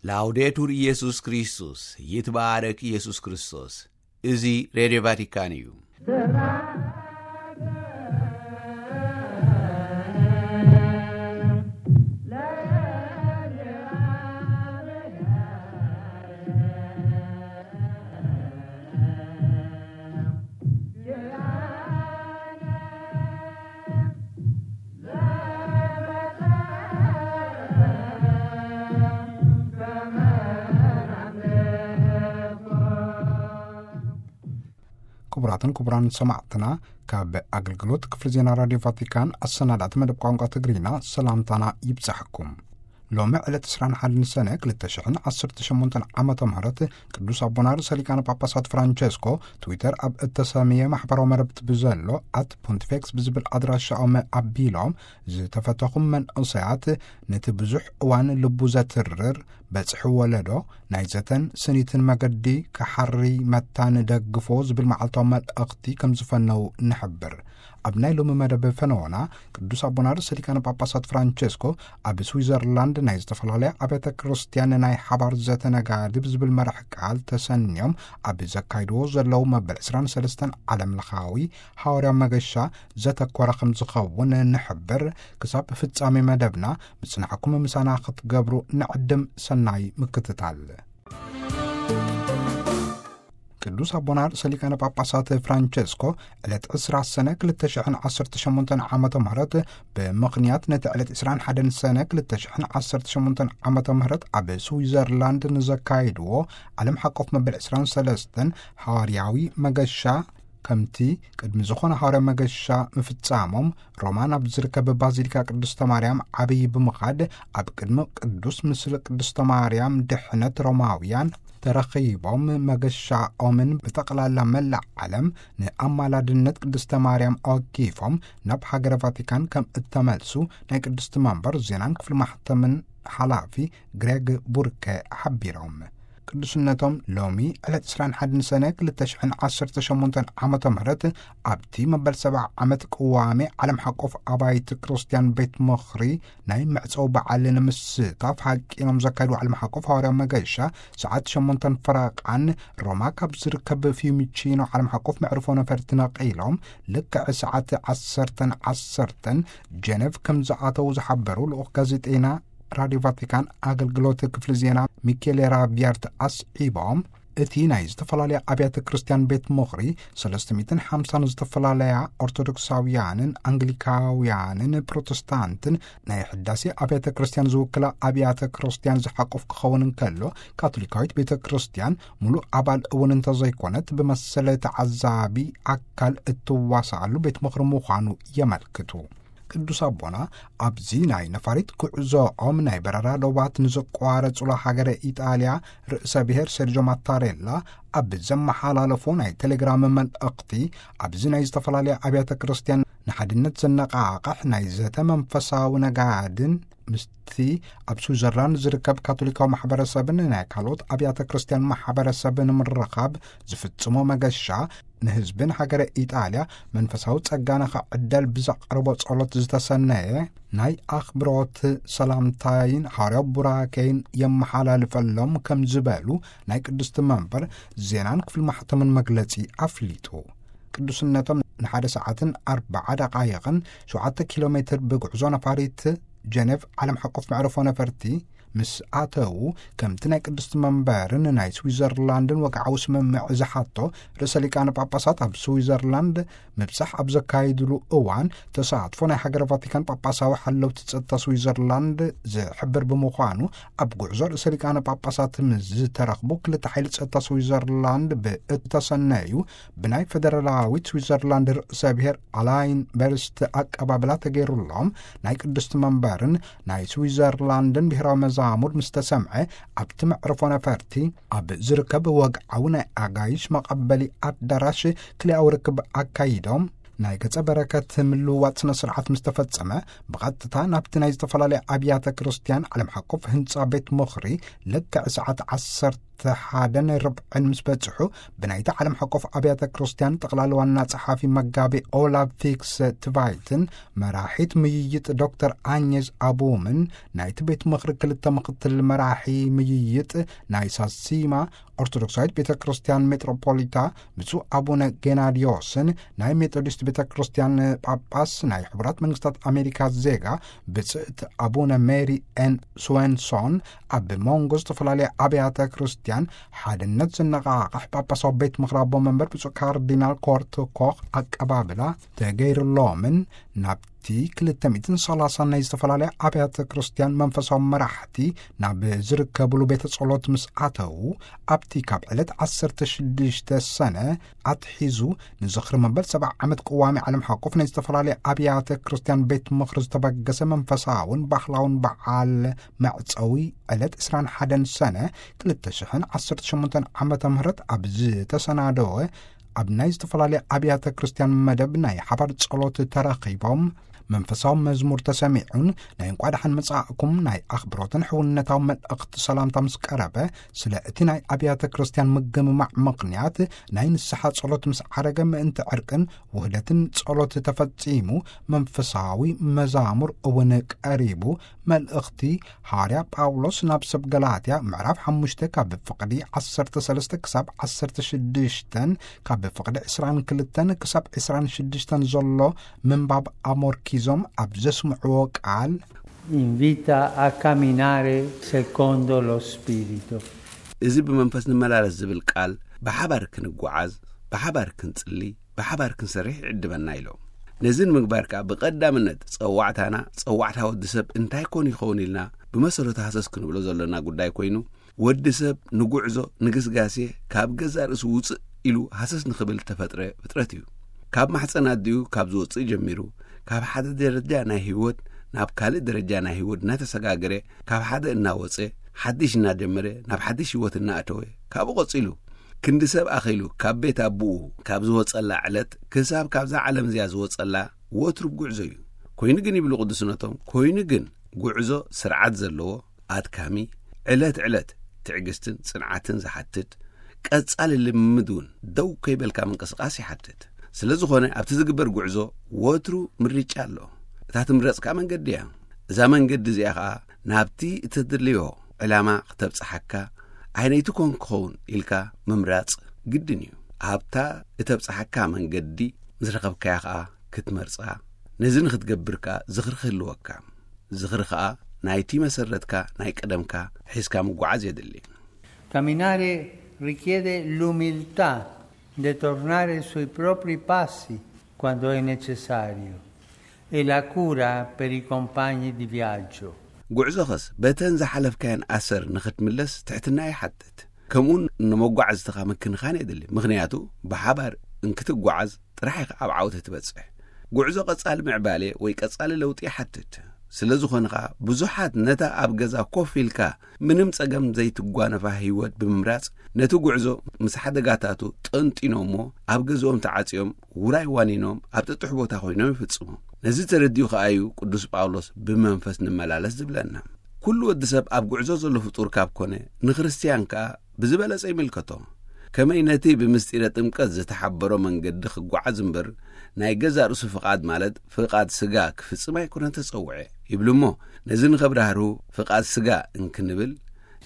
ላውዴቱር ኢየሱስ ክርስቶስ፣ ይትባረክ ኢየሱስ ክርስቶስ። እዚ ሬድዮ ቫቲካን እዩ። ክቡራትን ክቡራን ሰማዕትና፣ ካብ ኣገልግሎት ክፍሊ ዜና ራዲዮ ቫቲካን ኣሰናዳእቲ መደብ ቋንቋ ትግርኛ ሰላምታና ይብጻሕኩም። ሎሚ ዕለት ዕስራን ሓደን ሰነ ክልተ ሽሕን ዓሰርተ ሸሞንተን ዓመተ ምህረት ቅዱስ ኣቦና ርእሰ ሊቃነ ጳጳሳት ፍራንቸስኮ ትዊተር ኣብ እተሰምየ ማሕበራዊ መረብቲ ብዘሎ ኣት ፖንቲፌክስ ብዝብል ኣድራሻኦም ኣቢሎም፣ ዝተፈተኹም መንእሰያት፣ ነቲ ብዙሕ እዋን ልቡ ዘትርር በጽሒ ወለዶ ናይ ዘተን ስኒትን መገዲ ክሓሪ መታን ደግፎ ዝብል መዓልታዊ መልእኽቲ ከም ዝፈነው ንሕብር። ኣብ ናይ ሎሚ መደብ ፈነወና፣ ቅዱስ ኣቦና ርእሰ ሊቃነ ጳጳሳት ፍራንቸስኮ ኣብ ስዊዘርላንድ ናይ ዝተፈላለያ ኣብያተ ክርስቲያን ናይ ሓባር ዘተ ነጋድብ ዝብል መራሕ ቃል ተሰንዮም ኣብ ዘካይድዎ ዘለዉ መበል ዕስራን ሰለስተን ዓለም ለኻዊ ሃዋርያ መገሻ ዘተኮረ ከም ዝኸውን ንሕብር። ክሳብ ፍጻሜ መደብና ምጽናዕኩም ምሳና ክትገብሩ ንዕድም። ሰናይ ምክትታል። ቅዱስ ኣቦና ርእሰ ሊቃነ ጳጳሳት ፍራንቸስኮ ዕለት ዕስራ ሰነ ክልተ ሽሕን ዓሰርተ ሸሞንተን ዓመተ ምህረት ብምኽንያት ነቲ ዕለት ዕስራን ሓደን ሰነ ክልተ ሽሕን ዓሰርተ ሸሞንተን ዓመተ ምህረት ኣብ ስዊዘርላንድ ንዘካይድዎ ዓለም ሓቆፍ መበል ዕስራን ሰለስተን ሃዋርያዊ መገሻ ከምቲ ቅድሚ ዝኾነ ሃዋርያ መገሻ ምፍጻሞም ሮማ ናብ ዝርከብ ባዚሊካ ቅድስተ ማርያም ዓብዪ ብምኻድ ኣብ ቅድሚ ቅዱስ ምስሊ ቅድስተ ማርያም ድሕነት ሮማውያን ተረኺቦም መገሻኦምን ብጠቕላላ መላእ ዓለም ንኣማላድነት ቅድስተ ማርያም ኣወኪፎም ናብ ሃገረ ቫቲካን ከም እተመልሱ ናይ ቅድስቲ መንበር ዜናን ክፍሊ ማሕተምን ሓላፊ ግሬግ ቡርከ ሓቢሮም። ቅዱስነቶም ሎሚ ዕለት ዕስራን ሓደን ሰነ ክልተ ሽሕን ዓሰርተ ሸሞንተን ዓመተ ምህረት ኣብቲ መበል ሰብዓ ዓመት ቅዋሜ ዓለም ሓቆፍ ኣባይቲ ክርስትያን ቤት ምኽሪ ናይ መዕጸዊ በዓል ንምስታፍ ሓቂኖም ዘካይዱ ዓለም ሓቆፍ ሃዋርያ መገሻ ሰዓት ሸሞንተን ፈረቓን ሮማ ካብ ዝርከብ ፊዩሚቺኖ ዓለም ሓቆፍ መዕርፎ ነፈርቲ ነቒሎም ልክዕ ሰዓት ዓሰርተን ዓሰርተን ጀነቭ ከም ዝኣተዉ ዝሓበሩ ልኡኽ ጋዜጠይና ራድዮ ቫቲካን ኣገልግሎት ክፍሊ ዜና ሚኬሌ ራቪያርት ኣስዒቦም፣ እቲ ናይ ዝተፈላለያ ኣብያተ ክርስቲያን ቤት ምኽሪ ሰለስተ ሚእትን ሓምሳን ዝተፈላለያ ኦርቶዶክሳውያንን ኣንግሊካውያንን ፕሮቴስታንትን ናይ ሕዳሴ ኣብያተ ክርስቲያን ዝውክላ ኣብያተ ክርስቲያን ዝሓቁፍ ክኸውን እንከሎ፣ ካቶሊካዊት ቤተ ክርስቲያን ሙሉእ ኣባል እውን እንተዘይኮነት ብመሰለ ተዓዛቢ ኣካል እትዋሳኣሉ ቤት ምኽሪ ምዃኑ የመልክቱ። ቅዱስ ኣቦና ኣብዚ ናይ ነፋሪት ጉዕዞኦም ናይ በረራ ዶባት ንዘቋረጹላ ሃገረ ኢጣልያ ርእሰ ብሔር ሴርጆ ማታሬላ ኣብ ዘመሓላለፎ ናይ ቴሌግራም መልእኽቲ፣ ኣብዚ ናይ ዝተፈላለያ ኣብያተ ክርስቲያን ንሓድነት ዘነቓቕሕ ናይ ዘተ መንፈሳዊ ነጋድን ምስቲ ኣብ ስዊዘርላንድ ዝርከብ ካቶሊካዊ ማሕበረሰብን ናይ ካልኦት ኣብያተ ክርስቲያን ማሕበረሰብ ንምርኻብ ዝፍጽሞ መገሻ፣ ንህዝብን ሃገረ ኢጣልያ መንፈሳዊ ጸጋ ንኽዕደል ብዘቕርቦ ጸሎት ዝተሰነየ ናይ ኣኽብሮት ሰላምታይን ሃዋርያዊ ቡራኬይን የመሓላልፈሎም ከም ዝበሉ ናይ ቅድስቲ መንበር ዜናን ክፍሊ ማሕተምን መግለጺ ኣፍሊጡ። ቅዱስነቶም ንሓደ ሰዓትን ኣርብዓ ደቓይቕን ሸውዓተ ኪሎ ሜትር ብጉዕዞ ነፋሪት ጀነቭ ዓለም ሓቆፍ መዕረፎ ነፈርቲ ምስ ኣተዉ፣ ከምቲ ናይ ቅድስቲ መንበርን ናይ ስዊዘርላንድን ወግዓዊ ስምምዕ ዝሓቶ፣ ርእሰ ሊቃነ ጳጳሳት ኣብ ስዊዘርላንድ ምብጻሕ ኣብ ዘካይድሉ እዋን፣ ተሳትፎ ናይ ሃገረ ቫቲካን ጳጳሳዊ ሓለውቲ ጸጥታ ስዊዘርላንድ ዝሕብር ብምዃኑ፣ ኣብ ጉዕዞ ርእሰ ሊቃነ ጳጳሳት ምስ ዝተረኽቡ ክልተ ሓይሊ ጸጥታ ስዊዘርላንድ ብእተሰነዩ ብናይ ፈደራላዊት ስዊዘርላንድ ርእሰ ብሔር ኣላይን በርስት ኣቀባብላ ተገይሩሎም፣ ናይ ቅድስቲ መንበርን ናይ ስዊዘርላንድን ብሔራዊ መዛሙር ምስ ተሰምዐ፣ ኣብቲ መዕርፎ ነፈርቲ ኣብ ዝርከብ ወግዓዊ ናይ ኣጋይሽ መቐበሊ ኣዳራሽ ክልኣዊ ርክብ ኣካይዶም፣ ናይ ገጸ በረከት ምልውዋጥ ስነ ስርዓት ምስ ተፈጸመ፣ ብቐጥታ ናብቲ ናይ ዝተፈላለያ ኣብያተ ክርስቲያን ዓለም ሓቆፍ ህንጻ ቤት ምኽሪ ልክዕ ሰዓት ዓሰርተ ሓደን ርብዕን ምስ በጽሑ፣ ብናይቲ ዓለም ሓቆፍ ኣብያተ ክርስቲያን ጠቕላሊ ዋና ጸሓፊ መጋቢ ኦላቭ ፊክስ ትቫይትን መራሒት ምይይጥ ዶክተር ኣኘዝ ኣቡምን ናይቲ ቤት ምኽሪ ክልተ ምኽትል መራሒ ምይይጥ ናይ ሳሲማ ኦርቶዶክሳዊት ቤተ ክርስቲያን ሜትሮፖሊታ ብፁዕ ኣቡነ ጌናድዮስን ናይ ሜቶዲስት ቤተ ክርስቲያን ጳጳስ ናይ ሕቡራት መንግስታት ኣሜሪካ ዜጋ ብጽእት ኣቡነ ሜሪ ኤን ስወንሶን ኣብ መንጎ ዝተፈላለያ ኣብያተ ክርስቲያን ሓድነት ዘነቓቕሕ ጳጳሳዊ ቤት ምኽሪ ኣቦ መንበር ብፁዕ ካርዲናል ኮርት ኮኽ ኣቀባብላ ተገይሩሎምን ናብቲ ክልተ ሚእትን ሰላሳን ናይ ዝተፈላለያ ኣብያተ ክርስቲያን መንፈሳዊ መራሕቲ ናብ ዝርከብሉ ቤተ ጸሎት ምስ ኣተዉ፣ ኣብቲ ካብ ዕለት ዓሰርተ ሽዱሽተ ሰነ ኣትሒዙ ንዝኽሪ መበል ሰብዓ ዓመት ቅዋሚ ዓለም ሓቆፍ ናይ ዝተፈላለያ ኣብያተ ክርስቲያን ቤት ምኽሪ ዝተበገሰ መንፈሳውን ባህላውን በዓል መዕጸዊ ዕለት ዕስራን ሓደን ሰነ ክልተ ሽሕን ዓሰርተ ሸሞንተን ዓመተ ምህረት ኣብ ዝተሰናደወ ኣብ ናይ ዝተፈላለያ ኣብያተ ክርስቲያን መደብ ናይ ሓባር ጸሎት ተረኺቦም፣ መንፈሳዊ መዝሙር ተሰሚዑን ናይ እንቋ ደሓን መጻእኩም ናይ ኣኽብሮትን ሕውነታዊ መልእኽቲ ሰላምታ ምስ ቀረበ፣ ስለ እቲ ናይ ኣብያተ ክርስቲያን ምግምማዕ ምኽንያት ናይ ንስሓ ጸሎት ምስ ዓረገ፣ ምእንቲ ዕርቅን ውህደትን ጸሎት ተፈጺሙ፣ መንፈሳዊ መዛሙር እውን ቀሪቡ፣ መልእኽቲ ሃዋርያ ጳውሎስ ናብ ሰብ ገላትያ ምዕራፍ ሓሙሽተ ካብ ፍቕዲ ዓሰርተ ሰለስተ ክሳብ ዓሰርተ ሽዱሽተን፣ ካብ ፍቕዲ ዕስራን ክልተን ክሳብ ዕስራን ሽዱሽተን ዘሎ ምንባብ ኣሞርኪዞም ኣብ ዘስምዕዎ ቃል፣ invita a camminare secondo lo Spirito. እዚ ብመንፈስ ንመላለስ ዝብል ቃል፣ ብሓባር ክንጓዓዝ፣ ብሓባር ክንጽሊ፣ ብሓባር ክንሰርሕ ይዕድመና ኢሎም። ነዚ ንምግባር ከኣ ብቐዳምነት ጸዋዕታና፣ ጸዋዕታ ወዲ ሰብ እንታይ ኮን ይኸውን ኢልና ብመሰረቱ ሃሰስ ክንብሎ ዘሎና ጉዳይ ኮይኑ፣ ወዲ ሰብ ንጉዕዞ፣ ንግስጋሴ፣ ካብ ገዛእ ርእሱ ውጽእ ኢሉ ሃሰስ ንኽብል ተፈጥረ ፍጥረት እዩ። ካብ ማሕጸን ኣዲኡ ካብ ዝወጽእ ጀሚሩ፣ ካብ ሓደ ደረጃ ናይ ህይወት ናብ ካልእ ደረጃ ናይ ህይወት እናተሰጋገረ፣ ካብ ሓደ እናወጸ፣ ሓድሽ እናጀመረ፣ ናብ ሓድሽ ህይወት እናኣተወ፣ ካብኡ ቀጺሉ ክንዲ ሰብ ኣኺሉ ካብ ቤት ኣቦኡ ካብ ዝወጸላ ዕለት ክሳብ ካብዛ ዓለም እዚኣ ዝወጸላ ወትሩ ጉዕዞ እዩ። ኮይኑ ግን ይብሉ ቅዱስነቶም፣ ኮይኑ ግን ጉዕዞ ስርዓት ዘለዎ፣ ኣድካሚ፣ ዕለት ዕለት ትዕግስትን ጽንዓትን ዝሓትት፣ ቀጻሊ ልምምድ እውን ደው ከይበልካ ምንቅስቓስ ይሓትት። ስለ ዝኾነ ኣብቲ ዝግበር ጉዕዞ ወትሩ ምርጫ ኣሎ። እታ ትምረጽ ከኣ መንገዲ እያ። እዛ መንገዲ እዚኣ ከኣ ናብቲ እተድልዮ ዕላማ ክተብጽሓካ፣ ኣየነይቲ ኮን ክኸውን ኢልካ ምምራጽ ግድን እዩ። ኣብታ እተብጽሓካ መንገዲ ምስ ረኸብካያ ከኣ ክትመርጻ፣ ነዚ ንኽትገብር ከኣ ዝኽሪ ክህልወካ። ዝኽሪ ከኣ ናይቲ መሰረትካ ናይ ቀደምካ ሒዝካ ምጓዓዝ የድሊ። Camminare richiede l'umiltà di tornare sui propri passi quando è necessario e la cura per i compagni di viaggio. ጉዕዞኸስ በተን ዝሓለፍካየን ኣሰር ንኽትምለስ ትሕትና ይሓትት። ከምኡውን ንመጓዕዝትኻ ምክንኻን የድሊ። ምኽንያቱ ብሓባር እንክትጓዓዝ ጥራሕ ኢኻ ኣብ ዓወት እትበጽሕ። ጉዕዞ ቀጻሊ ምዕባሌ ወይ ቀጻሊ ለውጢ ይሓትት። ስለ ዝኾነ ኸኣ ብዙሓት ነታ ኣብ ገዛ ኮፍ ኢልካ ምንም ጸገም ዘይትጓነፋ ህይወት ብምምራጽ ነቲ ጉዕዞ ምስ ሓደጋታቱ ጠንጢኖሞ ኣብ ገዝኦም ተዓጽዮም ውራይ ዋኒኖም ኣብ ጥጡሕ ቦታ ኮይኖም ይፍጽሙ። ነዚ ተረዲኡ ከኣ እዩ ቅዱስ ጳውሎስ ብመንፈስ ንመላለስ ዝብለና። ኩሉ ወዲ ሰብ ኣብ ጉዕዞ ዘሎ ፍጡር ካብ ኮነ ንክርስትያን ከኣ ብዝበለጸ ይምልከቶ። ከመይ ነቲ ብምስጢረ ጥምቀት ዝተሓበሮ መንገዲ ክጓዓዝ እምበር ናይ ገዛእ ርእሱ ፍቓድ ማለት ፍቓድ ስጋ ክፍጽም ኣይኮነን ተጸውዐ ይብሉ እሞ ነዚ ንኸብራህርሁ ፍቓድ ስጋ እንክንብል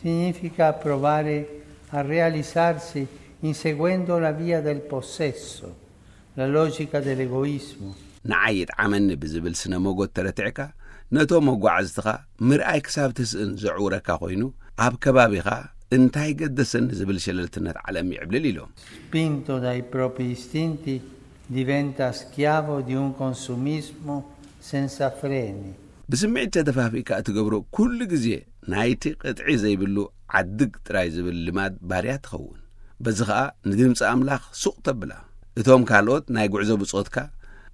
Significa provare a realizzarsi inseguendo la via del possesso, la logica dell'egoismo. ንዓይ ይጥዓመኒ ብዝብል ስነ መጎት ተረቲዕካ ነቶም መጓዕዝትኻ ምርኣይ ክሳብ ትስእን ዘዕውረካ ኮይኑ ኣብ ከባቢኻ እንታይ ገደሰኒ ዝብል ሸለልትነት ዓለም ይዕብልል ኢሎም። Spinto dai propri istinti, diventa schiavo di un consumismo senza freni. ብስምዒት ተደፋፊእካ እትገብሮ ኩሉ ግዜ ናይቲ ቅጥዒ ዘይብሉ ዓድግ ጥራይ ዝብል ልማድ ባርያ ትኸውን። በዚ ኸኣ ንድምፂ ኣምላኽ ሱቕ ተብላ። እቶም ካልኦት ናይ ጉዕዞ ብጾትካ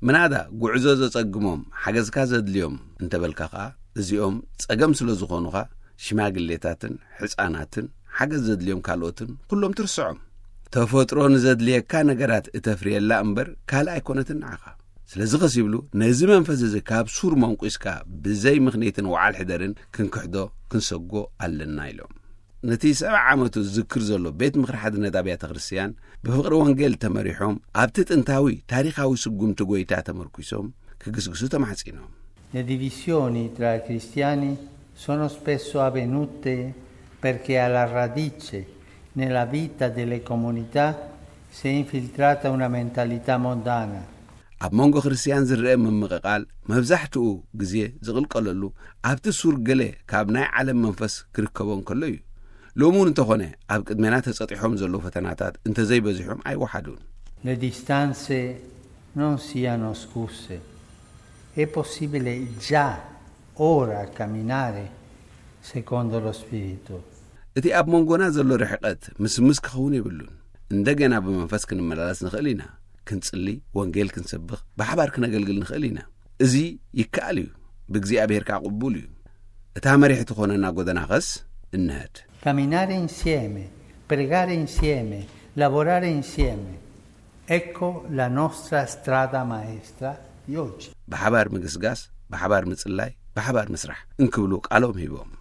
ምናዳ ጉዕዞ ዘጸግሞም ሓገዝካ ዘድልዮም እንተበልካ ኸኣ እዚኦም ጸገም ስለ ዝኾኑኻ ሽማግሌታትን ሕጻናትን ሓገዝ ዘድልዮም ካልኦትን ኩሎም ትርስዖም። ተፈጥሮ ንዘድልየካ ነገራት እተፍርየላ እምበር ካልእ ኣይኮነትን ንዓኻ። ስለዚ ኸስ ይብሉ፣ ነዚ መንፈስ እዚ ካብ ሱር መንቁስካ ብዘይ ምኽንያትን ወዓል ሕደርን ክንክሕዶ ክንሰጎ ኣለና ኢሎም። ነቲ ሰብዓ ዓመቱ ዝዝክር ዘሎ ቤት ምኽሪ ሓድነት ኣብያተ ክርስቲያን፣ ብፍቕሪ ወንጌል ተመሪሖም፣ ኣብቲ ጥንታዊ ታሪኻዊ ስጉምቲ ጐይታ ተመርኲሶም ክግስግሱ ተማሕጺኖም። Le divisioni tra i cristiani sono spesso avvenute perché alla radice, nella vita delle comunità, si è infiltrata una mentalità mondana. ኣብ መንጎ ክርስቲያን ዝረአ ምምቕቓል መብዛሕትኡ ግዜ ዝቕልቀለሉ ኣብቲ ሱር ገለ ካብ ናይ ዓለም መንፈስ ክርከቦ እንከሎ እዩ። ሎሚ እውን እንተኾነ ኣብ ቅድሜና ተጸጢሖም ዘለዉ ፈተናታት እንተዘይበዚሖም ኣይወሓዱን። Le distanze non siano scuse. È possibile già ora camminare secondo lo Spirito. እቲ ኣብ መንጎና ዘሎ ርሕቀት ምስምስ ክኸውን የብሉን። እንደገና ብመንፈስ ክንመላለስ ንኽእል ኢና። ክንጽሊ፣ ወንጌል ክንሰብኽ፣ ብሓባር ክነገልግል ንኽእል ኢና። እዚ ይከኣል እዩ። ብእግዚኣብሔር ከኣ ቅቡል እዩ። እታ መሪሕ ትኾነና ጎደና ኸስ እንሀድ። Camminare insieme, pregare insieme, lavorare insieme. Ecco la nostra strada maestra di oggi. ብሓባር ምግስጋስ፣ ብሓባር ምጽላይ፣ ብሓባር ምስራሕ እንክብሉ ቃሎም ሂቦም።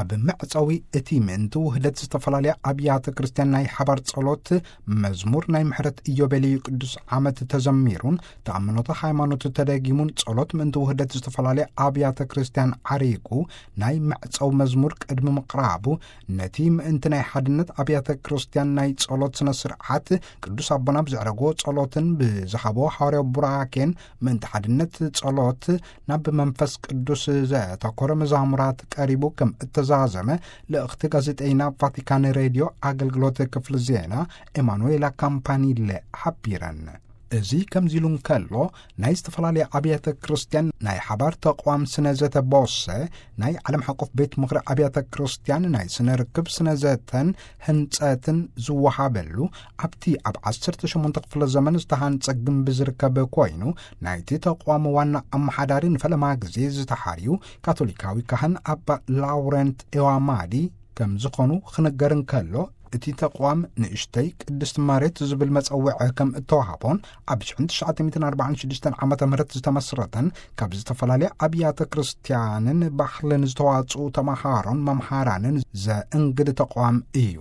ኣብ መዕጸዊ እቲ ምእንቲ ውህደት ዝተፈላለያ ኣብያተ ክርስቲያን ናይ ሓባር ጸሎት፣ መዝሙር ናይ ምሕረት ኢዮቤልዩ ቅዱስ ዓመት ተዘሚሩን፣ ተኣምኖተ ሃይማኖት ተደጊሙን፣ ጸሎት ምእንቲ ውህደት ዝተፈላለያ ኣብያተ ክርስቲያን ዓሪጉ፣ ናይ መዕጸዊ መዝሙር ቅድሚ ምቕራቡ፣ ነቲ ምእንቲ ናይ ሓድነት ኣብያተ ክርስቲያን ናይ ጸሎት ስነ ስርዓት፣ ቅዱስ ኣቦና ብዘዕረግዎ ጸሎትን ብዝሃቦ ሓዋርያዊ ቡራኬን፣ ምእንቲ ሓድነት ጸሎት ናብ መንፈስ ቅዱስ ዘተኮረ መዛሙራት ቀሪቡ ከም እተዛዘመ፣ ልእኽቲ ጋዜጠይና ቫቲካን ሬድዮ ኣገልግሎት ክፍሊ ዜና ኤማኑኤላ ካምፓኒለ ሓቢረን። እዚ ከምዚ ኢሉ እንከሎ፣ ናይ ዝተፈላለያ ኣብያተ ክርስቲያን ናይ ሓባር ተቋም ስነ ዘተ ቦሰ፣ ናይ ዓለም ሓቆፍ ቤት ምኽሪ ኣብያተ ክርስቲያን ናይ ስነ ርክብ ስነ ዘተን ህንጸትን ዝወሃበሉ፣ ኣብቲ ኣብ ዓሰርተ ሸሞንተ ክፍለ ዘመን ዝተሃንጸ ግንቢ ዝርከብ ኮይኑ፣ ናይቲ ተቋም ዋና ኣመሓዳሪ ንፈለማ ግዜ ዝተሓርዩ ካቶሊካዊ ካህን ኣባ ላውረንት ኤዋማዲ ከም ዝኾኑ ክንገር እንከሎ፣ እቲ ተቋም ንእሽተይ ቅድስቲ መሬት ዝብል መጸውዒ ከም እተዋህቦን፣ ኣብ ሽሕን ትሽዓተ ሚእትን ኣርባዓን ሽዱሽተን ዓመተ ምህረት ዝተመስረተን፣ ካብ ዝተፈላለያ ኣብያተ ክርስቲያንን ባህልን ዝተዋጽኡ ተመሃሮን መምሃራንን ዘእንግድ ተቋም እዩ።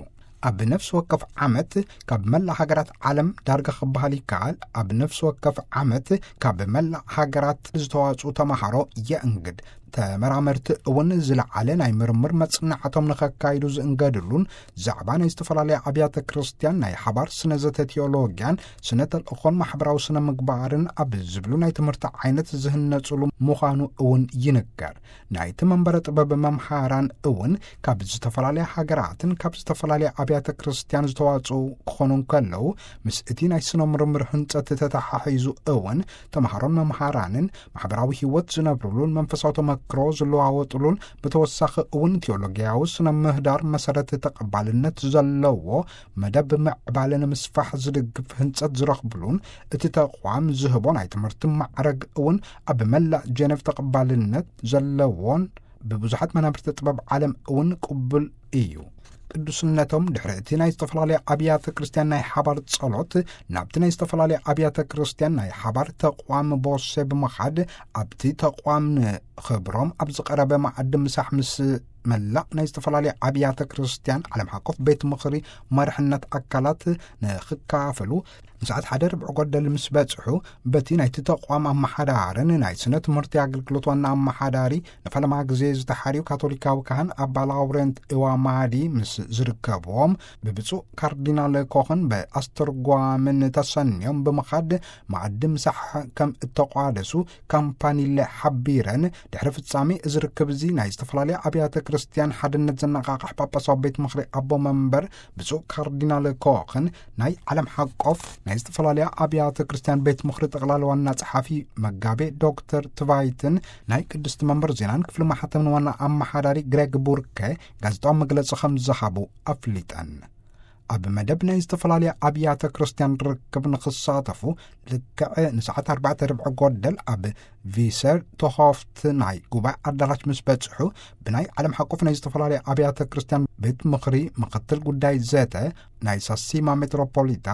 ኣብ ነፍሲ ወከፍ ዓመት ካብ መላእ ሃገራት ዓለም፣ ዳርጋ ክበሃል ይከኣል፣ ኣብ ነፍሲ ወከፍ ዓመት ካብ መላእ ሃገራት ዝተዋጽኡ ተመሃሮ የእንግድ። ተመራመርቲ እውን ዝለዓለ ናይ ምርምር መጽናዕቶም ንኸካይዱ ዝእንገድሉን፣ ዛዕባ ናይ ዝተፈላለያ ኣብያተ ክርስቲያን ናይ ሓባር ስነ ዘተ ቴዎሎጊያን፣ ስነ ተልእኾን ማሕበራዊ ስነ ምግባርን ኣብ ዝብሉ ናይ ትምህርቲ ዓይነት ዝህነጹሉ ምዃኑ እውን ይንገር። ናይቲ መንበረ ጥበብ መምሃራን እውን ካብ ዝተፈላለያ ሃገራትን ካብ ዝተፈላለያ ኣብያተ ክርስቲያን ዝተዋጽኡ ክኾኑ እንከለዉ፣ ምስ እቲ ናይ ስነ ምርምር ህንጸት ተተሓሒዙ እውን ተምሃሮን መምሃራንን ማሕበራዊ ህይወት ዝነብሩሉን መንፈሳዊ ተመክሮ ዝለዋወጡሉን፣ ብተወሳኺ እውን ቴዎሎጊያዊ ስነ ምህዳር መሰረት ተቐባልነት ዘለዎ መደብ ምዕባለ ንምስፋሕ ዝድግፍ ህንጸት ዝረኽብሉን፣ እቲ ተቋም ዝህቦ ናይ ትምህርቲ ማዕረግ እውን ኣብ መላእ ጀነቭ ተቐባልነት ዘለዎን ብብዙሓት መናብርቲ ጥበብ ዓለም እውን ቅቡል እዩ። ቅዱስነቶም ድሕሪ እቲ ናይ ዝተፈላለያ ኣብያተ ክርስቲያን ናይ ሓባር ጸሎት፣ ናብቲ ናይ ዝተፈላለያ ኣብያተ ክርስቲያን ናይ ሓባር ተቋም ቦሴ ብምኻድ፣ ኣብቲ ተቋም ንኽብሮም ኣብ ዝቐረበ መኣዲ ምሳሕ ምስ መላእ ናይ ዝተፈላለያ ኣብያተ ክርስቲያን ዓለም ሓቆፍ ቤት ምኽሪ መርሕነት ኣካላት ንኽካፈሉ፣ ንሰዓት ሓደ ርብዒ ጎደል ምስ በጽሑ፣ በቲ ናይቲ ተቋም ኣመሓዳርን ናይ ስነ ትምህርቲ ኣገልግሎት ዋና ኣመሓዳሪ ንፈለማ ግዜ ዝተሓርዩ ካቶሊካዊ ካህን ኣባ ላውረንት እዋማዲ ምስ ዝርከብዎም፣ ብብፁዕ ካርዲናል ኮኽን ብኣስተርጓምን ተሰንዮም ብምኻድ፣ መኣዲ ምሳሕ ከም እተቋደሱ ካምፓኒለ ሓቢረን። ድሕሪ ፍጻሜ እዚ ርክብ እዚ ናይ ዝተፈላለያ ኣብያተ ክርስቲያን ሓድነት ዘነቓቕሕ ጳጳሳዊ ቤት ምኽሪ ኣቦ መንበር ብፁዕ ካርዲናል ኮኽን፣ ናይ ዓለም ሓቆፍ ናይ ዝተፈላለያ ኣብያተ ክርስቲያን ቤት ምኽሪ ጠቕላላ ዋና ጸሓፊ መጋቤ ዶክተር ትቫይትን፣ ናይ ቅድስቲ መንበር ዜናን ክፍሊ ማሕተምን ዋና ኣመሓዳሪ ግሬግ ቡርከ ጋዜጣዊ መግለጺ ከም ዝሃቡ ኣፍሊጠን። ኣብ መደብ ናይ ዝተፈላለያ ኣብያተ ክርስቲያን ርክብ ንኽሳተፉ፣ ልክዕ ንሰዓት ኣርባዕተ ርብዒ ጎደል ኣብ ቪሰር ቶሆፍት ናይ ጉባኤ ኣዳራሽ ምስ በጽሑ፣ ብናይ ዓለም ሓቆፍ ናይ ዝተፈላለያ ኣብያተ ክርስቲያን ቤት ምኽሪ ምኽትል ጉዳይ ዘተ ናይ ሳሲማ ሜትሮፖሊታ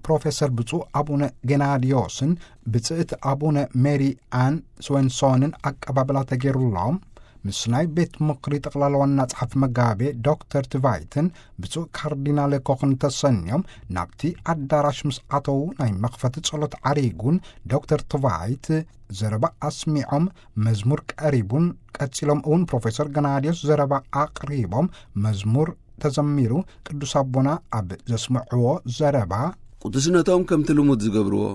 ፕሮፌሰር ብፁዕ ኣቡነ ጌናድዮስን ብጽእት ኣቡነ ሜሪ ኣን ስወንሶንን ኣቀባብላ ተገይሩሎም፣ ምስ ናይ ቤት ምኽሪ ጠቕላላ ዋና ጸሓፊ መጋቤ ዶክተር ትቫይትን ብፁዕ ካርዲናል ኮኽን ተሰንዮም ናብቲ ኣዳራሽ ምስ ኣተዉ፣ ናይ መኽፈቲ ጸሎት ዓሪጉን ዶክተር ትቫይት ዘረባ ኣስሚዖም፣ መዝሙር ቀሪቡን ቀጺሎም እውን ፕሮፌሰር ገናድዮስ ዘረባ ኣቕሪቦም፣ መዝሙር ተዘሚሩ፣ ቅዱስ ኣቦና ኣብ ዘስምዕዎ ዘረባ፣ ቅዱስነቶም ከምቲ ልሙድ ዝገብርዎ፣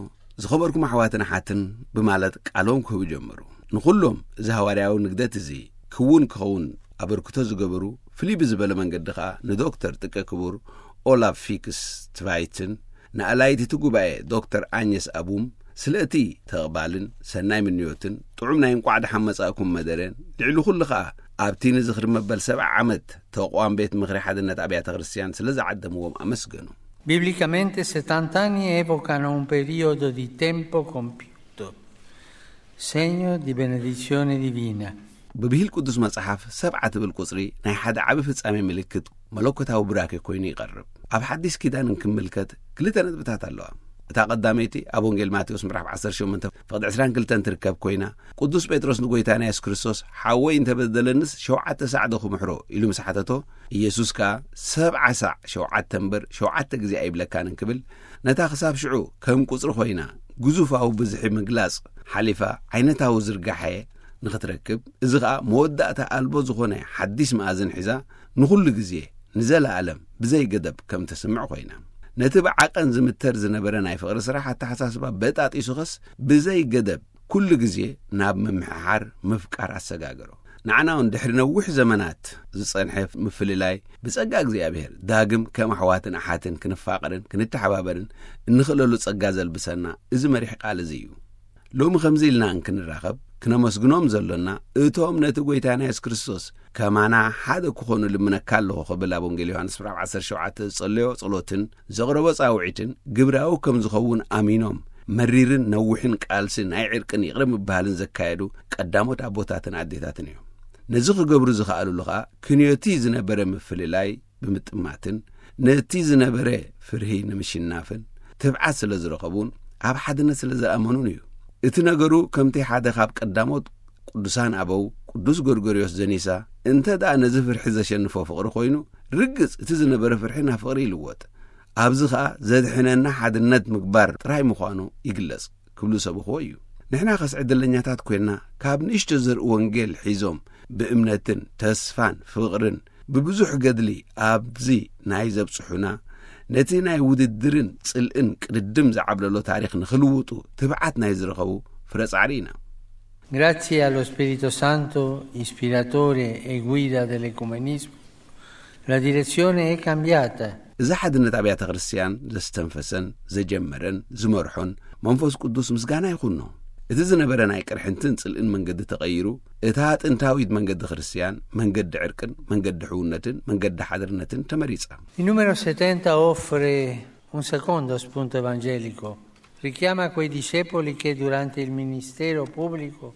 "ዝኸበርኩም ኣሕዋትን ኣሓትን" ብማለት ቃሎም ክህቡ ጀመሩ። ንኹሎም እዚ ሃዋርያዊ ንግደት እዚ ክውን ክኸውን ኣበርክቶ ዝገበሩ፣ ፍልይ ብዝበለ መንገዲ ኸኣ ንዶክተር ጥቀ ክቡር ኦላፍ ፊክስ ትቫይትን ንኣላይት እቲ ጉባኤ ዶክተር ኣኘስ ኣቡም ስለ እቲ ተቕባልን ሰናይ ምንዮትን ጥዑም ናይ እንቋዕ ደሓን መጻእኩም መደረን፣ ልዕሊ ኩሉ ኸኣ ኣብቲ ንዝኽሪ መበል ሰብዓ ዓመት ተቋም ቤት ምኽሪ ሓድነት ኣብያተ ክርስቲያን ስለ ዝዓደምዎም ኣመስገኑ። Biblicamente settanta anni evocano un periodo di tempo compiuto, segno di benedizione divina. ብብሂል ቅዱስ መጽሓፍ ሰብዓ ትብል ቁጽሪ ናይ ሓደ ዓቢ ፍጻሜ ምልክት መለኮታዊ ቡራኬ ኮይኑ ይቐርብ። ኣብ ሓዲስ ኪዳን እንክምልከት ክልተ ነጥብታት ኣለዋ። እታ ቀዳመይቲ ኣብ ወንጌል ማቴዎስ ምዕራፍ ዓሰርተ ሸሞንተ ፍቕዲ ዕስራን ክልተን ትርከብ ኮይና፣ ቅዱስ ጴጥሮስ ንጎይታና የሱስ ክርስቶስ "ሓወይ እንተበደለንስ ሸውዓተ ሳዕ ዶ ክምሕሮ?" ኢሉ ምስ ሓተቶ፣ ኢየሱስ ከኣ "ሰብዓ ሳዕ ሸውዓተ እምበር ሸውዓተ ግዜ ኣይብለካን" እንክብል፣ ነታ ክሳብ ሽዑ ከም ቁጽሪ ኮይና ግዙፋዊ ብዝሒ ምግላጽ ሓሊፋ ዓይነታዊ ዝርጋሐ ንኽትረክብ፣ እዚ ኸኣ መወዳእታ ኣልቦ ዝኾነ ሓዲስ መኣዝን ሒዛ ንኹሉ ግዜ ንዘለኣለም ብዘይ ገደብ ከም ተስምዕ ኮይና። ነቲ ብዓቐን ዝምተር ዝነበረ ናይ ፍቕሪ ስራሕ ኣተሓሳስባ በጣጢሱ ኸስ ብዘይ ገደብ ኩሉ ግዜ ናብ ምምሕሓር ምፍቃር ኣሰጋገሮ። ንዓና እውን ድሕሪ ነዊሕ ዘመናት ዝጸንሐ ምፍልላይ ብጸጋ እግዚኣብሔር ዳግም ከም ኣሕዋትን ኣሓትን ክንፋቐርን ክንተሓባበርን እንኽእለሉ ጸጋ ዘልብሰና እዚ መሪሕ ቃል እዚ እዩ። ሎሚ ከምዚ ኢልና እንክንራኸብ ክነመስግኖም ዘሎና እቶም ነቲ ጎይታና የሱስ ክርስቶስ ከማና ሓደ ክኾኑ ልምነካ ኣለኹ ክብል ኣብ ወንጌል ዮሃንስ ምዕራፍ ዓሰርተ ሸውዓተ ዝጸለዮ ጸሎትን ዘቕረቦ ጻውዒትን ግብራዊ ከም ዝኸውን ኣሚኖም መሪርን ነዊሕን ቃልሲ ናይ ዕርቅን ይቕረ ምብሃልን ዘካየዱ ቀዳሞት ኣቦታትን ኣዴታትን እዮም። ነዚ ክገብሩ ዝኸኣሉሉ ኸኣ ክንዮቲ ዝነበረ ምፍልላይ ብምጥማትን ነቲ ዝነበረ ፍርሂ ንምሽናፍን ትብዓት ስለ ዝረኸቡን ኣብ ሓድነት ስለ ዝኣመኑን እዩ። እቲ ነገሩ ከምቲ ሓደ ካብ ቀዳሞት ቅዱሳን ኣበው ቅዱስ ጎርጎርዮስ ዘኒሳ፣ "እንተ ደኣ ነዚ ፍርሒ ዘሸንፎ ፍቕሪ ኮይኑ፣ ርግጽ እቲ ዝነበረ ፍርሒ ናብ ፍቕሪ ይልወጥ። ኣብዚ ኸኣ ዘድሕነና ሓድነት ምግባር ጥራይ ምዃኑ ይግለጽ" ክብሉ ዝሰበኽዎ እዩ። ንሕና ኸስ ዕድለኛታት ኮይንና፣ ካብ ንእሽቶ ዘርኢ ወንጌል ሒዞም ብእምነትን ተስፋን ፍቕርን ብብዙሕ ገድሊ ኣብዚ ናይ ዘብጽሑና፣ ነቲ ናይ ውድድርን ጽልእን ቅድድም ዝዓብለሎ ታሪኽ ንኽልውጡ ትብዓት ናይ ዝረኸቡ ፍረ ጻዕሪ ኢና። Grazie allo Spirito Santo, ispiratore e guida dell'ecumenismo, la direzione è cambiata. እዚ ሓድነት ኣብያተ ክርስቲያን ዘስተንፈሰን ዘጀመረን ዝመርሖን መንፈስ ቅዱስ ምስጋና ይኹኖ። እቲ ዝነበረ ናይ ቅርሕንትን ጽልእን መንገዲ ተቐይሩ፣ እታ ጥንታዊት መንገዲ ክርስቲያን፣ መንገዲ ዕርቅን መንገዲ ሕውነትን መንገዲ ሓድነትን ተመሪጻ። Il numero settanta offre un secondo spunto evangelico. Richiama quei discepoli che durante il ministero pubblico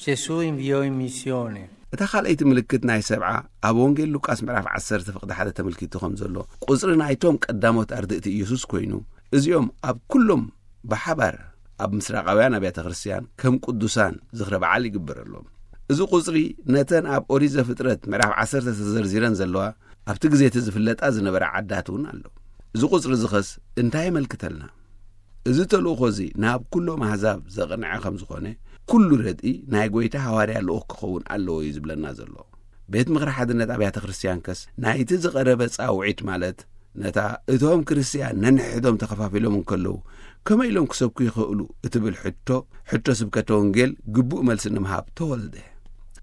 Gesù inviò in missione. እታ ካልኣይቲ ምልክት ናይ ሰብዓ ኣብ ወንጌል ሉቃስ ምዕራፍ ዓሰርተ ፍቕዲ ሓደ ተመልኪቱ ከም ዘሎ፣ ቁጽሪ ናይቶም ቀዳሞት ኣርድእቲ ኢየሱስ ኮይኑ፣ እዚኦም ኣብ ኩሎም ብሓባር ኣብ ምስራቓውያን ኣብያተ ክርስቲያን ከም ቅዱሳን ዝኽረ በዓል ይግበረሎም። እዚ ቁጽሪ ነተን ኣብ ኦሪት ዘፍጥረት ምዕራፍ ዓሰርተ ተዘርዚረን ዘለዋ ኣብቲ ግዜ እቲ ዝፍለጣ ዝነበራ ዓዳት እውን ኣሎ። እዚ ቁጽሪ እዚ ኸስ እንታይ የመልክተልና? እዚ ተልእኾ እዚ ናብ ኩሎም ኣህዛብ ዘቕንዐ ከም ዝኾነ፣ ኩሉ ረድኢ ናይ ጐይታ ሃዋርያ ልኡኽ ክኸውን ኣለዎ እዩ ዝብለና ዘሎ። ቤት ምኽሪ ሓድነት ኣብያተ ክርስቲያን ከስ ናይቲ ዝቐረበ ጻውዒት፣ ማለት ነታ እቶም ክርስቲያን ነንሕድሕዶም ተኸፋፊሎም እንከለዉ ከመይ ኢሎም ክሰብኩ ይኽእሉ እትብል ሕቶ፣ ሕቶ ስብከተ ወንጌል ግቡእ መልሲ ንምሃብ ተወልደ።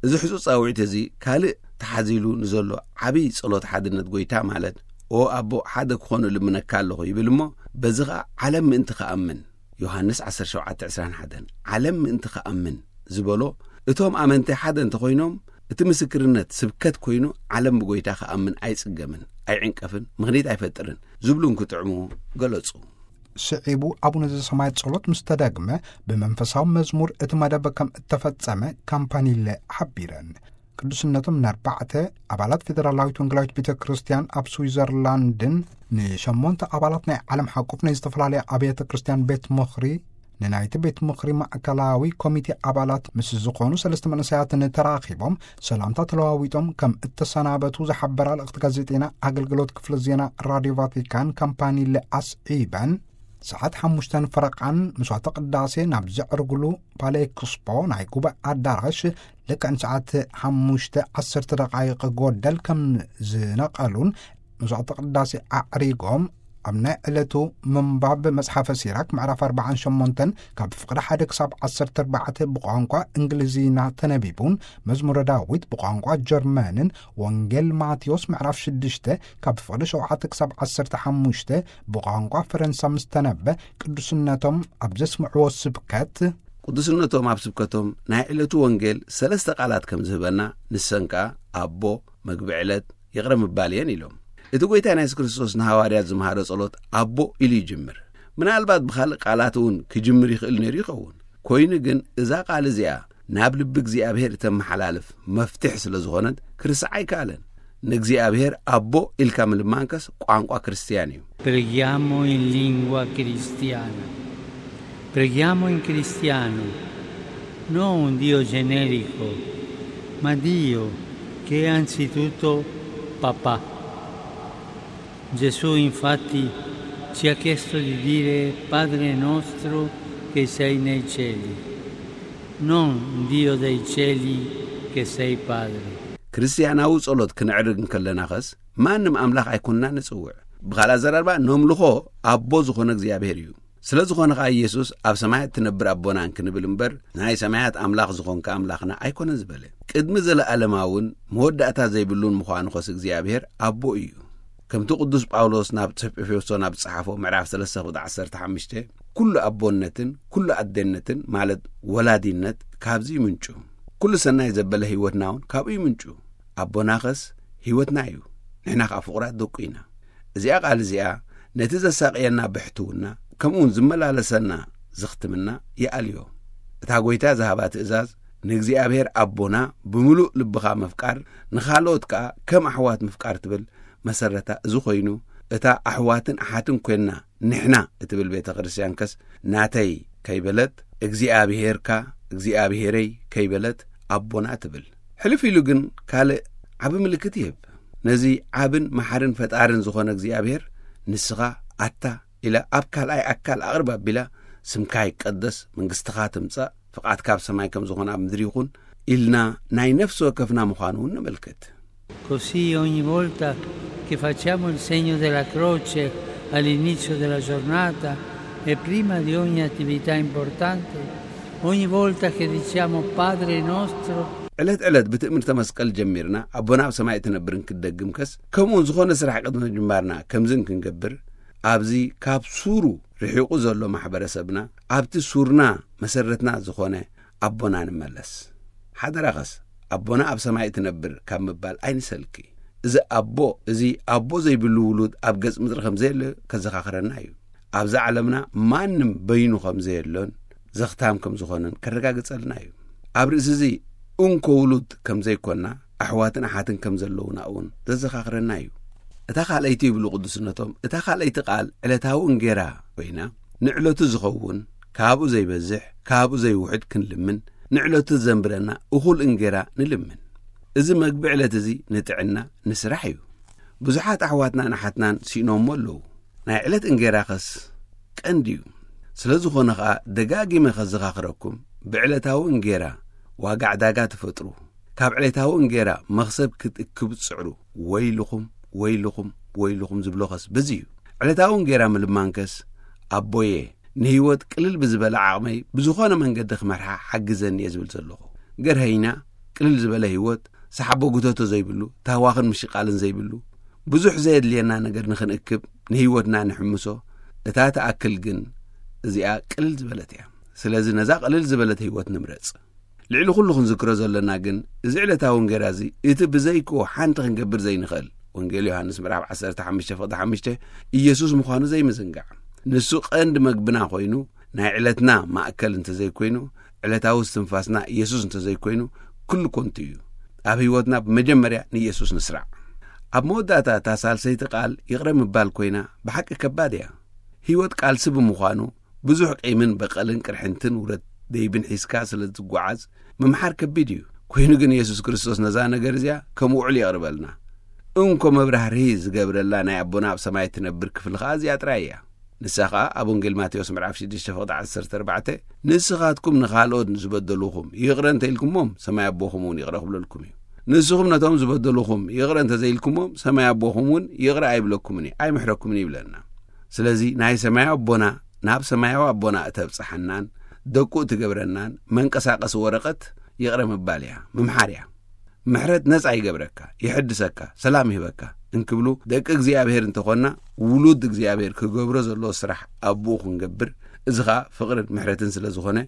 እዚ ሕጹጽ ጻውዒት እዚ ካልእ ተሓዚሉ ንዘሎ ዓብዪ ጸሎት ሓድነት ጐይታ፣ ማለት "ኦ ኣቦ፣ ሓደ ክኾኑ እልምነካ ኣለኹ" ይብል እሞ፣ በዚ ኸኣ "ዓለም ምእንቲ ክኣምን"፣ ዮሃንስ ዓሰርተ ሸውዓተ ዕስራን ሓደን፣ "ዓለም ምእንቲ ክኣምን" ዝበሎ፣ እቶም ኣመንቲ ሓደ እንተኾይኖም፣ እቲ ምስክርነት ስብከት ኮይኑ፣ ዓለም ብጐይታ ክኣምን ኣይጽገምን፣ ኣይዕንቀፍን፣ ምኽኒት ኣይፈጥርን ዝብሉ እንክጥዕሙ ገለጹ። ስዒቡ ኣቡነ ዘሰማያት ጸሎት ምስ ተደግመ፣ ብመንፈሳዊ መዝሙር እቲ መደብ ከም እተፈጸመ ካምፓኒለ ሓቢረን። ቅዱስነቶም ንኣርባዕተ ኣባላት ፌደራላዊት ወንጌላዊት ቤተ ክርስቲያን ኣብ ስዊዘርላንድን ንሸሞንተ ኣባላት ናይ ዓለም ሓቁፍ ናይ ዝተፈላለያ ኣብያተ ክርስቲያን ቤት ምኽሪ ንናይቲ ቤት ምኽሪ ማእከላዊ ኮሚቴ ኣባላት ምስ ዝኾኑ ሰለስተ መንእሰያትን ተራኺቦም ሰላምታ ተለዋዊጦም ከም እተሰናበቱ ዝሓበራ ልእኽቲ ጋዜጤና ኣገልግሎት ክፍለ ዜና ራድዮ ቫቲካን ካምፓኒለ ኣስዒበን ሰዓት ሓሙሽተን ፈረቓን መስዋዕተ ቅዳሴ ናብ ዘዕርግሉ ፓሌክስፖ ናይ ጉባኤ ኣዳራሽ ልክዕን ሰዓት ሓሙሽተ ዓሰርተ ደቓይቕ ጎደል ከም ዝነቐሉን መስዋዕተ ቅዳሴ ኣዕሪጎም ኣብ ናይ ዕለቱ ምንባብ መጽሓፈ ሲራክ ምዕራፍ ኣርባዓን ሸሞንተን ካብ ፍቕዲ ሓደ ክሳብ ዓሰርተ ኣርባዕተ ብቋንቋ እንግሊዝኛ ተነቢቡን መዝሙረ ዳዊት ብቋንቋ ጀርመንን ወንጌል ማቴዎስ ምዕራፍ ሽዱሽተ ካብ ፍቕዲ ሸውዓተ ክሳብ ዓሰርተ ሓሙሽተ ብቋንቋ ፈረንሳ ምስ ተነበ ቅዱስነቶም ኣብ ዘስምዕዎ ስብከት ቅዱስነቶም ኣብ ስብከቶም ናይ ዕለቱ ወንጌል ሰለስተ ቃላት ከም ዝህበና ንሰን ከኣ ኣቦ፣ መግቢ ዕለት፣ ይቕረ ምባል እየን ኢሎም። እቲ ጎይታ ናይ የሱስ ክርስቶስ ንሃዋርያት ዝመሃሮ ጸሎት ኣቦ ኢሉ ይጅምር። ምናልባት ብኻልእ ቃላት እውን ክጅምር ይኽእል ነይሩ ይኸውን። ኮይኑ ግን እዛ ቃል እዚኣ ናብ ልቢ እግዚኣብሔር እተመሓላልፍ መፍትሕ ስለ ዝኾነት ክርስዕ ኣይከኣለን። ንእግዚኣብሔር ኣቦ ኢልካ ምልማንከስ ቋንቋ ክርስትያን እዩ። Preghiamo in lingua cristiana. Preghiamo in cristiano, non un Dio generico, ma Dio che è anzitutto papà. Gesù infatti ci ha chiesto di dire Padre nostro che sei nei cieli, non Dio dei cieli che sei Padre. ክርስትያናዊ ጸሎት ክንዕርግ እንከለና ኸስ ማንም ኣምላኽ ኣይኮንና ንጽውዕ። ብኻልእ ኣዘራርባ ነምልኾ ኣቦ ዝኾነ እግዚኣብሔር እዩ። ስለ ዝኾነ ኸኣ ኢየሱስ ኣብ ሰማያት ትነብር ኣቦና እንክንብል እምበር ናይ ሰማያት ኣምላኽ ዝኾንካ ኣምላኽና ኣይኮነን ዝበለ። ቅድሚ ዘለኣለማውን መወዳእታ ዘይብሉን ምዃኑ ኸስ እግዚኣብሔር ኣቦ እዩ። ከምቲ ቅዱስ ጳውሎስ ናብ ኤፌሶን ኣብ ዝጸሓፎ ምዕራፍ ሰለስተ ቁጥሪ ዓሰርተ ሓሙሽተ ኩሉ ኣቦነትን ኩሉ ኣደነትን ማለት ወላዲነት ካብዚ ይምንጩ። ኩሉ ሰናይ ዘበለ ህይወትና እውን ካብኡ ይምንጩ። ኣቦናኸስ ህይወትና እዩ። ንሕና ኸኣ ፍቑራት ደቁ ኢና። እዚኣ ቃል እዚኣ ነቲ ዘሳቕየና ብሕትውና ከምኡውን ዝመላለሰና ዘኽትምና ይኣልዮ። እታ ጐይታ ዝሃባ ትእዛዝ ንእግዚኣብሔር ኣቦና ብምሉእ ልብኻ ምፍቃር ንኻልኦት ከኣ ከም ኣሕዋት ምፍቃር ትብል መሰረታ እዚ ኾይኑ እታ ኣሕዋትን ኣሓትን ኰንና ንሕና እትብል ቤተ ክርስቲያን ከስ ናተይ ከይበለት እግዚኣብሔርካ እግዚኣብሔረይ ከይበለት ኣቦና ትብል። ሕልፍ ኢሉ ግን ካልእ ዓቢ ምልክት ይህብ። ነዚ ዓብን መሓርን ፈጣርን ዝኾነ እግዚኣብሔር ንስኻ ኣታ ኢላ ኣብ ካልኣይ ኣካል ኣቕርብ ኣቢላ ስምካ ይቀደስ መንግስትኻ ትምጻእ ፍቓድካ ኣብ ሰማይ ከም ዝኾነ ኣብ ምድሪ ይኹን ኢልና ናይ ነፍሲ ወከፍና ምዃኑ እውን ነመልክት። Così ogni volta che facciamo il segno della croce all'inizio della giornata e prima di ogni attività importante, ogni volta che diciamo Padre nostro, ዕለት ዕለት ብትእምርተ መስቀል ጀሚርና ኣቦና ኣብ ሰማይ እትነብር እንክደግም ከስ ከምኡውን ዝኾነ ስራሕ ቅድሚ ምጅማርና ከምዚ እንክንገብር ኣብዚ ካብ ሱሩ ርሒቑ ዘሎ ማሕበረሰብና ኣብቲ ሱርና መሰረትና ዝኾነ ኣቦና ንመለስ። ሓደራኸስ ኣቦና ኣብ ሰማይ እትነብር ካብ ምባል ኣይንሰልኪ። እዚ ኣቦ እዚ ኣቦ ዘይብሉ ውሉድ ኣብ ገጽ ምድሪ ከም ዘየለ ከዘኻኽረና እዩ። ኣብዛ ዓለምና ማንም በይኑ ከም ዘየሎን ዘኽታም ከም ዝኾነን ከረጋግጸልና እዩ። ኣብ ርእሲ እዚ እንኮ ውሉድ ከም ዘይኮና ኣሕዋትን ኣሓትን ከም ዘለውና እውን ዘዘኻኽረና እዩ። እታ ካልኣይቲ ይብሉ ቅዱስነቶም እታ ካልኣይቲ ቃል ዕለታዊ እንጌራ ኮይና ንዕለቱ ዝኸውን ካብኡ ዘይበዝሕ ካብኡ ዘይውሕድ ክንልምን ንዕለቱ ዘንብረና እኹል እንጌራ ንልምን። እዚ መግቢ ዕለት እዚ ንጥዕና ንስራሕ እዩ። ብዙሓት ኣሕዋትናን ኣሓትናን ስኢኖሞ ኣለዉ። ናይ ዕለት እንጌራ ኸስ ቀንዲ እዩ። ስለ ዝኾነ ኸኣ ደጋጊመ ከዘኻኽረኩም ብዕለታዊ እንጌራ ዋጋ ዕዳጋ ትፈጥሩ ካብ ዕለታዊ እንጌራ መኽሰብ ክትእክቡ ትጽዕሩ ወይልኹም ወይልኹም ወይልኹም ዝብሎ ኸስ በዚ እዩ። ዕለታዊ እንጌራ ምልማንከስ ኣቦየ ንህይወት ቅልል ብዝበለ ዓቕመይ ብዝኾነ መንገዲ ክመርሓ ሓግዘኒ እየ ዝብል ዘለኹ። ገርሀይና ቅልል ዝበለ ህይወት ሰሓቦ ጉተቶ ዘይብሉ ታህዋኽን ምሽቃልን ዘይብሉ ብዙሕ ዘየድልየና ነገር ንኽንእክብ ንህይወትና ንሕምሶ። እታ ትኣክል ግን እዚኣ ቅልል ዝበለት እያ። ስለዚ ነዛ ቅልል ዝበለት ህይወት ንምረጽ። ልዕሊ ኩሉ ክንዝክሮ ዘለና ግን እዚ ዕለታዊ እንጌራ እዚ እቲ ብዘይክኡ ሓንቲ ክንገብር ዘይንኽእል ወንጌል ዮሃንስ ምዕራፍ ዓሰርተ ሓሙሽተ ፍቕዲ ሓሙሽተ ኢየሱስ ምዃኑ ዘይምዝንጋዕ። ንሱ ቀንዲ መግብና ኮይኑ ናይ ዕለትና ማእከል እንተዘይኮይኑ ዕለታዊ እስትንፋስና ኢየሱስ እንተዘይኮይኑ ኩሉ ኮንቱ እዩ። ኣብ ህይወትና ብመጀመርያ ንኢየሱስ ንስራዕ። ኣብ መወዳእታ እታ ሳልሰይቲ ቃል ይቕረ ምባል ኮይና፣ ብሓቂ ከባድ እያ። ህይወት ቃልሲ ብምዃኑ፣ ብዙሕ ቂምን በቐልን ቅርሕንትን ውረት ደይብን ሒዝካ ስለ ዝጓዓዝ፣ ምምሓር ከቢድ እዩ። ኮይኑ ግን፣ የሱስ ክርስቶስ ነዛ ነገር እዚኣ ከም ውዕል የቕርበልና። እንኮ መብራህርሂ ዝገብረላ ናይ ኣቦና ኣብ ሰማይ እትነብር ክፍሊ ኸኣ እዚኣ ጥራይ እያ። ንሳ ኸኣ ኣብ ወንጌል ማቴዎስ ምዕራፍ ሽዱሽተ ፍቕዲ ዓሰርተ ኣርባዕተ፣ "ንስኻትኩም ንኻልኦት ንዝበደሉኹም ይቕረ እንተ ኢልኩሞም፣ ሰማይ ኣቦኹም እውን ይቕረ ክብለልኩም እዩ። ንስኹም ነቶም ዝበደሉኹም ይቕረ እንተ ዘይልኩሞም፣ ሰማይ ኣቦኹም እውን ይቕረ ኣይብለኩምን እዩ፣ ኣይምሕረኩምን እዩ" ይብለና። ስለዚ ናይ ሰማይ ኣቦና፣ ናብ ሰማያዊ ኣቦና እተብጽሓናን ደቁ እትገብረናን መንቀሳቐሲ ወረቐት ይቕረ ምባል እያ፣ ምምሓር እያ። ምሕረት ነጻ ይገብረካ፣ ይሕድሰካ፣ ሰላም ይህበካ እንክብሉ ደቂ እግዚኣብሔር እንተኾንና፣ ውሉድ እግዚኣብሔር ክገብሮ ዘለዎ ስራሕ ኣቦኡ ክንገብር፣ እዚ ኸኣ ፍቕርን ምሕረትን ስለ ዝኾነ፣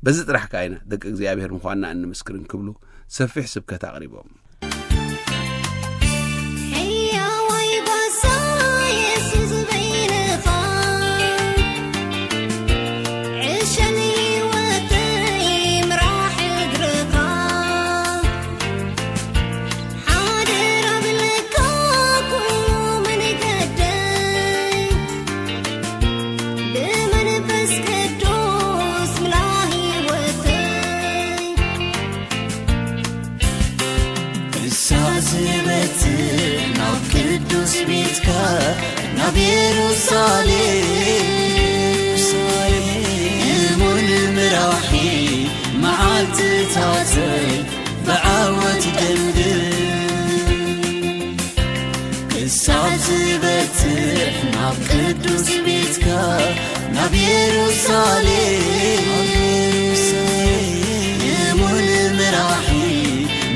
በዚ ጥራሕ ከኣ ኢና ደቂ እግዚኣብሔር ምዃንና እንምስክር እንክብሉ ሰፊሕ ስብከት ኣቕሪቦም። ሕያዋይ ጓሳ የሱስ በይንኻ፣ ዕሸል ህይወተይ ምራሕ እግርኻ። ሓደራ ብለካ ኩሉ መንገደይ፣ ብመንፈስ ቅዱስ ምላ ህይወተይ። ክሳዕ ዝበጽሕ ናብ ቅዱስ ቤትካ፣ ናብ የሩሳሌም፣ እሙን ምራሒ መዓልትታተይ ብዓወት ደምድም። ክሳብ ዝበጽሕ ናብ ቅዱስ ቤትካ፣ ናብ የሩሳሌም፣ እሙን ምራሒ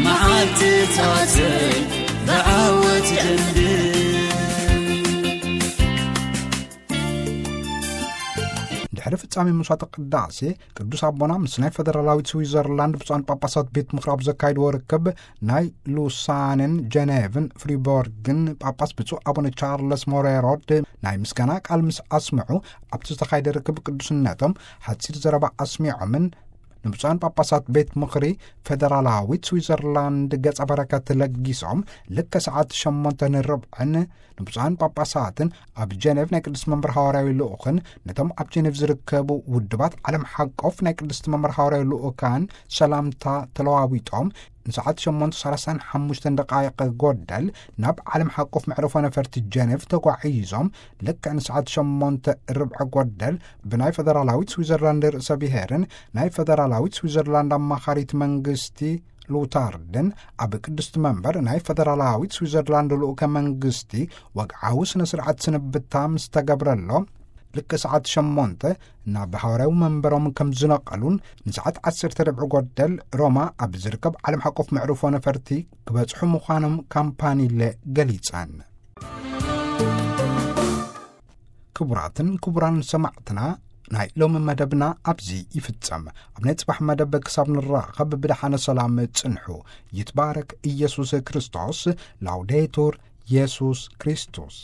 መዓልትታተይ ብዓወት ደምድም። ድሕሪ ፍጻሜ መስዋዕተ ቅዳሴ፣ ቅዱስ ኣቦና ምስ ናይ ፈደራላዊት ስዊዘርላንድ ብፁዓን ጳጳሳት ቤት ምኽሪ ኣብ ዘካይድዎ ርክብ፣ ናይ ሉሳንን ጀኔቭን ፍሪቦርግን ጳጳስ ብፁዕ ኣቡነ ቻርለስ ሞሬሮድ ናይ ምስጋና ቃል ምስ ኣስምዑ፣ ኣብቲ ዝተኻየደ ርክብ ቅዱስነቶም ሓጺር ዘረባ ኣስሚዖምን ንብፁዓን ጳጳሳት ቤት ምኽሪ ፈደራላዊት ስዊዘርላንድ ገጸ በረከት ለጊሶም፣ ልክዕ ሰዓት ሸሞንተ ንርብዕን ንብፁዓን ጳጳሳትን ኣብ ጀኔቭ ናይ ቅዱስ መንበር ሃዋርያዊ ልኡኽን ነቶም ኣብ ጀኔቭ ዝርከቡ ውድባት ዓለም ሓቆፍ ናይ ቅዱስ መንበር ሃዋርያዊ ልኡካን ሰላምታ ተለዋዊጦም፣ ንሰዓት ሸሞንተ ሰላሳን ሓሙሽተን ደቃይቕ ጎደል ናብ ዓለም ሓቆፍ መዕርፎ ነፈርቲ ጀኔቭ ተጓዒዞም፣ ልክዕ ንሰዓት ሸሞንተ ርብዒ ጎደል ብናይ ፈደራላዊት ስዊዘርላንድ ርእሰ ብሔርን ናይ ፈደራላዊት ስዊዘርላንድ ኣማኻሪት መንግስቲ ሉታርድን ኣብ ቅድስቲ መንበር ናይ ፈደራላዊት ስዊዘርላንድ ልኡከ መንግስቲ ወግዓዊ ስነ ስርዓት ስንብታ ምስ ተገብረሎም፣ ልክዕ ሰዓት ሸሞንተ ናብ ሃዋርያዊ መንበሮም ከም ዝነቐሉን ንሰዓት ዓሰርተ ርብዒ ጎደል ሮማ ኣብ ዝርከብ ዓለም ሓቆፍ መዕርፎ ነፈርቲ ክበጽሑ ምዃኖም ካምፓኒለ ገሊጸን። ክቡራትን ክቡራን ሰማዕትና፣ ናይ ሎሚ መደብና ኣብዚ ይፍጸም። ኣብ ናይ ጽባሕ መደብ ክሳብ ንራኸብ ብደሓነ ሰላም ጽንሑ። ይትባረክ ኢየሱስ ክርስቶስ። ላውዴቱር ኢየሱስ ክርስቶስ።